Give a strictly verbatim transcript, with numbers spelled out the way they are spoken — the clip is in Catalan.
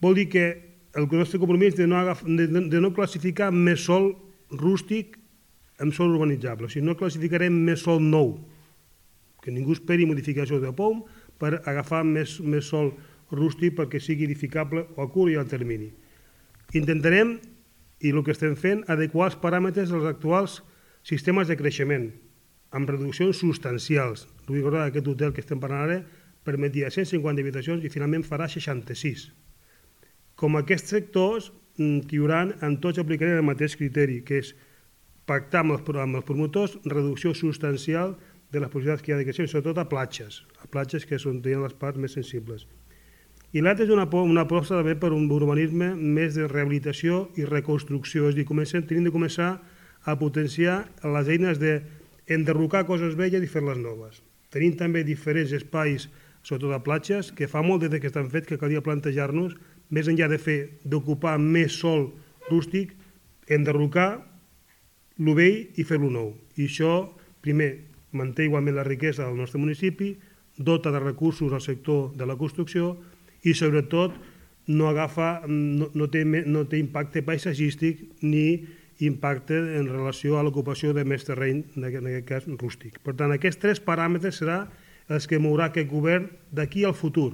Vol dir que el nostre compromís de no, de, de no classificar més sòl rústic en sòl urbanitzable, o sigui, no classificarem més sòl nou, que ningú esperi modificació de P O M per agafar més, més sòl rústic perquè sigui edificable a curt i al termini. Intentarem, i el que estem fent, adequar els paràmetres dels actuals sistemes de creixement, amb reduccions substancials. Vull recordar que aquest hotel que estem parlant ara permetia cent cinquanta habitacions i finalment farà seixanta-sis. Com aquests sectors que hi haurà, en tots aplicarem el mateix criteri, que és pactar amb els, amb els promotors reducció substancial de les possibilitats que hi ha de creixement, sobretot a platges, a platges que són les parts més sensibles. I l'altre és una, una aposta també per un urbanisme més de rehabilitació i reconstrucció, és a dir, comencem, tenim de començar a potenciar les eines d'enderrocar coses velles i fer-les noves. Tenim també diferents espais, sobretot a platges, que fa molt des que estan fets que calia plantejar-nos, més enllà de fer d'ocupar més sòl rústic, enderrocar el vell i fer-lo nou. I això, primer, manté igualment la riquesa del nostre municipi, dota de recursos al sector de la construcció i, sobretot, no, agafa, no, no, té, no té impacte paisatgístic ni impacte en relació a l'ocupació de més terreny, en aquest cas rústic. Per tant, aquests tres paràmetres seran els que mourà aquest govern d'aquí al futur.